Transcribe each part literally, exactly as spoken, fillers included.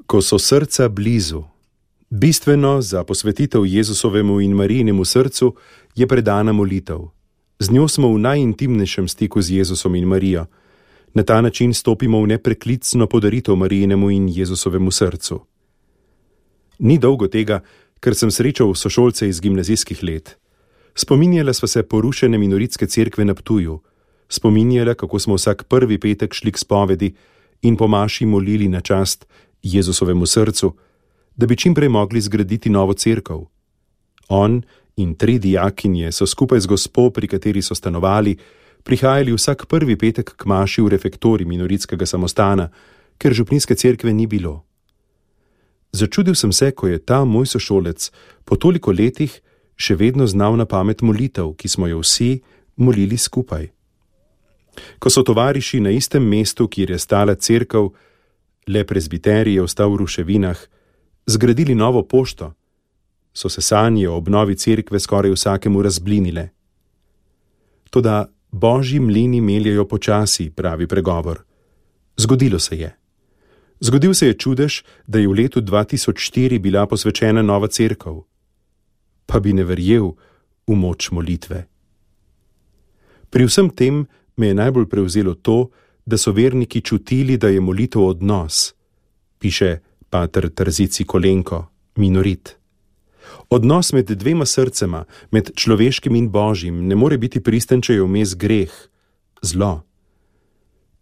Ko so srca blizu. Bistveno za posvetitev Jezusovemu in Marijinemu srcu je predana molitev. Z njo smo v najintimnejšem stiku z Jezusom in Marijo. Na ta način stopimo v nepreklicno podaritev Marijinemu in Jezusovemu srcu. Ni dolgo tega, ker sem srečal sošolce iz gimnazijskih let. Spominjala sva se porušene minoritske cerkve na Ptuju. Spominjala, kako smo vsak prvi petek šli k spovedi in po maši molili na čast Jezusovemu srcu, da bi čim prej mogli zgraditi novo cerkev. On in tri dijakinje so skupaj z gospo, pri kateri so stanovali, prihajali vsak prvi petek k maši v refektorij minoritskega samostana, ker župnijske cerkve ni bilo. Začudil sem se, ko je ta moj sošolec po toliko letih še vedno znal na pamet molitev, ki smo jo vsi molili skupaj. Ko so tovariši na istem mestu, kjer je stala cerkev, le prezbiterij je ostal v ruševinah, zgradili novo pošto, so se sanje o obnovi cerkve skoraj vsakemu razblinile. Toda božji mlini meljejo počasi, pravi pregovor. Zgodilo se je. Zgodil se je čudež, da je v letu dva tisoč štiri bila posvečena nova cerkev. Pa bi ne verjel v moč molitve. Pri vsem tem me je najbolj prevzelo to, da so verniki čutili, da je molitev odnos, piše pater Trzici Kolenko, minorit. Odnos med dvema srcema, med človeškim in božjim, ne more biti pristen, če je vmes greh, zlo.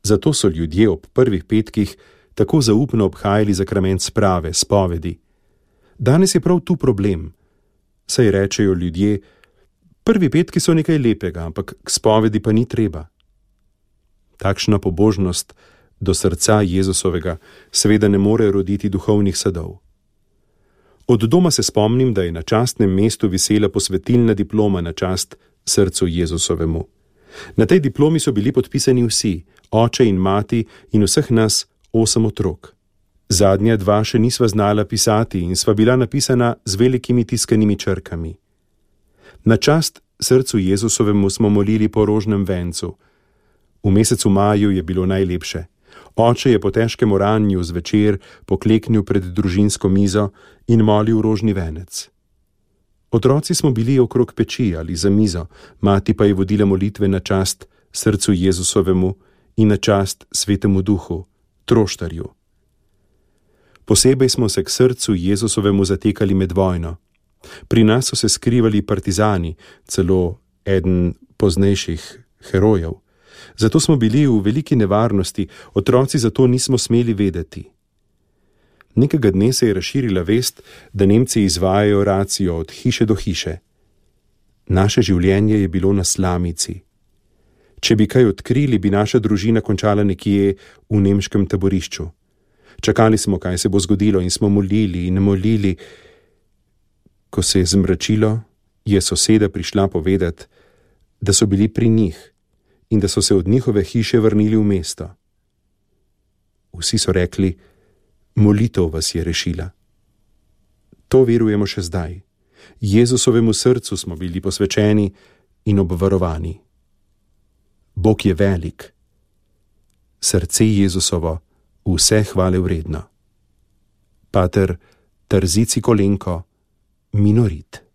Zato so ljudje ob prvih petkih tako zaupno obhajali zakrament sprave, spovedi. Danes je prav tu problem. Saj rečejo ljudje, prvi petki so nekaj lepega, ampak k spovedi pa ni treba. Takšna pobožnost do srca Jezusovega seveda ne more roditi duhovnih sadov. Od doma se spomnim, da je na častnem mestu visela posvetilna diploma na čast srcu Jezusovemu. Na tej diplomi so bili podpisani vsi, oče in mati in vseh nas osem otrok. Zadnja dva še nisva znala pisati in sva bila napisana z velikimi tiskanimi črkami. Na čast srcu Jezusovemu smo molili po rožnem vencu. V mesecu maju je bilo najlepše. Oče je po težkem oranju zvečer pokleknil pred družinsko mizo in molil rožni venec. Otroci smo bili okrog peči ali za mizo, mati pa je vodila molitve na čast srcu Jezusovemu in na čast Svetemu Duhu, Troštarju. Posebej smo se k srcu Jezusovemu zatekali med vojno. Pri nas so se skrivali partizani, celo eden poznejših herojev. Zato smo bili v veliki nevarnosti, otroci zato nismo smeli vedeti. Nekega dne se je razširila vest, da Nemci izvajajo racijo od hiše do hiše. Naše življenje je bilo na slamici. Če bi kaj odkrili, bi naša družina končala nekje v nemškem taborišču. Čakali smo, kaj se bo zgodilo in smo molili in molili. Ko se je zmračilo, je soseda prišla povedati, da so bili pri njih in da so se od njihove hiše vrnili v mesto. Vsi so rekli, molitev vas je rešila. To verujemo še zdaj. Jezusovemu srcu smo bili posvečeni in obvarovani. Bog je velik. Srce Jezusovo vse hvale vredno. Pater Trzici Kolenko, minorit.